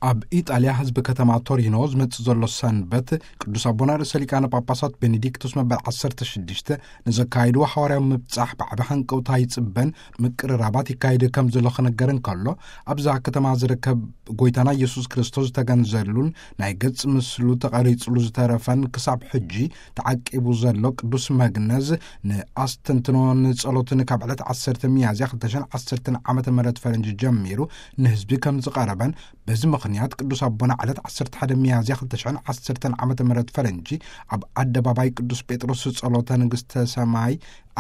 ኣብ ኢጣልያ ህዝቢ ከተማ ቶሪኖ ዝመጽእ ዘሎ ሰንበት ቅዱስ ኣቦና ርእሰ ሊቃነ ጳጳሳት ቤኔዲክቶስ መበል ዓሰርተ ሽዱሽተ ንዘካይድዎ ሓዋርያዊ ምብጻሕ ብዓቢ ሃንቀውታ ይጽበን ምቅርራባት ይካየድ ከም ዘሎ ክነገር እንከሎ፣ ኣብዛ ከተማ ዝርከብ ጎይታና ኢየሱስ ክርስቶስ ዝተገንዘሉን ናይ ገጽ ምስሉ ተቐሪጽሉ ዝተረፈን ክሳብ ሕጂ ተዓቂቡ ዘሎ ቅዱስ መግነዝ ንኣስተንትኖን ጸሎትን ካብ ዕለት ዓሰርተ ሚያዝያ ክልተ ሽሕን ዓሰርተን ዓመተ ምህረት ፈረንጂ ጀሚሩ ንህዝቢ ከም ዝቐረበን፣ በዚ ምኽንያት ቅዱስ ኣቦና ዕለት ዓሰርተ ሓደ ሚያዝያ ክልተ ሽሕን ዓሰርተን ዓመተ ምህረት ፈረንጂ ኣብ ኣደባባይ ቅዱስ ጴጥሮስ ጸሎተ ንግስተ ሰማይ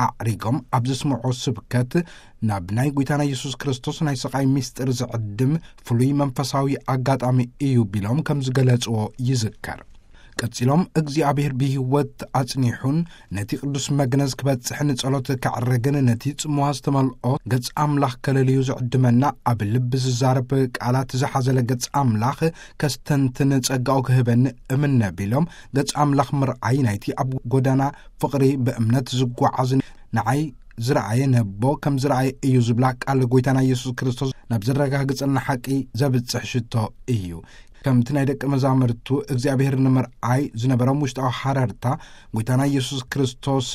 ኣዕሪጎም ኣብ ዘስምዖ ስብከት፣ ናብ ናይ ጎይታና ኢየሱስ ክርስቶስ ናይ ስቓይ ምስጢር ዝዕድም ፍሉይ መንፈሳዊ ኣጋጣሚ እዩ ቢሎም ከም ዝገለጽዎ ይዝከር። ቀጺሎም፣ እግዚኣብሔር ብህይወት ኣጽኒሑን ነቲ ቅዱስ መግነዝ ክበጽሕ ንጸሎት ከዕርግን ነቲ ጽምዋ ዝተመልኦ ገጽ ኣምላኽ ከለልዩ ዝዕድመና፣ ኣብ ልቢ ዝዛረብ ቃላት ዝሓዘለ ገጽ ኣምላኽ ከስተንትን ጸጋኡ ክህበኒ እምነ ቢሎም፣ ገጽ ኣምላኽ ምርኣይ ናይቲ ኣብ ጎዳና ፍቕሪ ብእምነት ዝጓዓዝ ንዓይ ዝረኣየ ነቦ ከም ዝረኣየ እዩ ዝብላ ቃል ጎይታና ኢየሱስ ክርስቶስ ናብ ዘረጋግጸልና ሓቂ ዘብጽሕ ሽቶ እዩ። ከምቲ ናይ ደቂ መዛሙርቱ እግዚኣብሔር ንምርኣይ ዝነበሮም ውሽጣዊ ሓረርታ፣ ጎይታና ኢየሱስ ክርስቶስ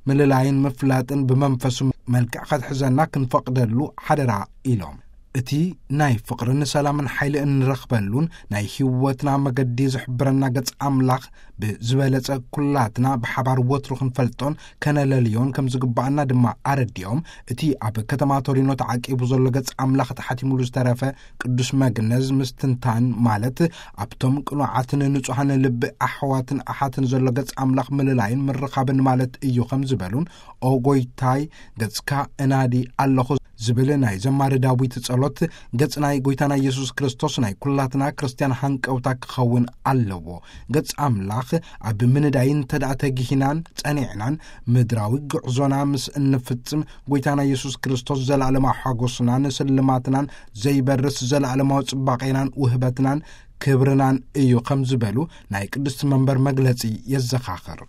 ምልላይን ምፍላጥን ብመንፈሱ መልክዕ ከትሕዘና ክንፈቕደሉ ሓደራ ኢሎም። እቲ ናይ ፍቕርን ሰላምን ሓይሊ እንረኽበሉን ናይ ህይወትና መገዲ ዝሕብረና ገጽ ኣምላኽ ብዝበለጸ ኩላትና ብሓባር ወትሩ ክንፈልጦን ከነለልዮን ከም ዝግባኣና ድማ ኣረዲኦም፣ እቲ ኣብ ከተማ ቶሪኖ ተዓቂቡ ዘሎ ገጽ ኣምላኽ ተሓቲሙሉ ዝተረፈ ቅዱስ መግነዝ ምስትንታን፣ ማለት ኣብቶም ቅኑዓትን ንጹሃን ልቢ ኣሕዋትን ኣሓትን ዘሎ ገጽ ኣምላኽ ምልላይን ምርኻብን ማለት እዩ ከም ዝበሉን፣ ኦ ጎይታይ፣ ገጽካ እናዲ ኣለኹ ዝብል ናይ ዘማሪ ዳዊት ጸሎት፣ ገጽ ናይ ጎይታና ኢየሱስ ክርስቶስ ናይ ኩላትና ክርስትያን ሃንቀውታ ክኸውን ኣለዎ። ገጽ ኣምላኽ ኣብ ምንዳይ እንተ ደኣ ተጊሂናን ጸኒዕናን፣ ምድራዊ ጉዕዞና ምስ እንፍጽም፣ ጎይታና ኢየሱስ ክርስቶስ ዘለኣለማዊ ሓጎስናን ስልማትናን፣ ዘይበርስ ዘለኣለማዊ ጽባቄናን ውህበትናን ክብርናን እዩ ከም ዝበሉ ናይ ቅድስቲ መንበር መግለጺ የዘኻኽር።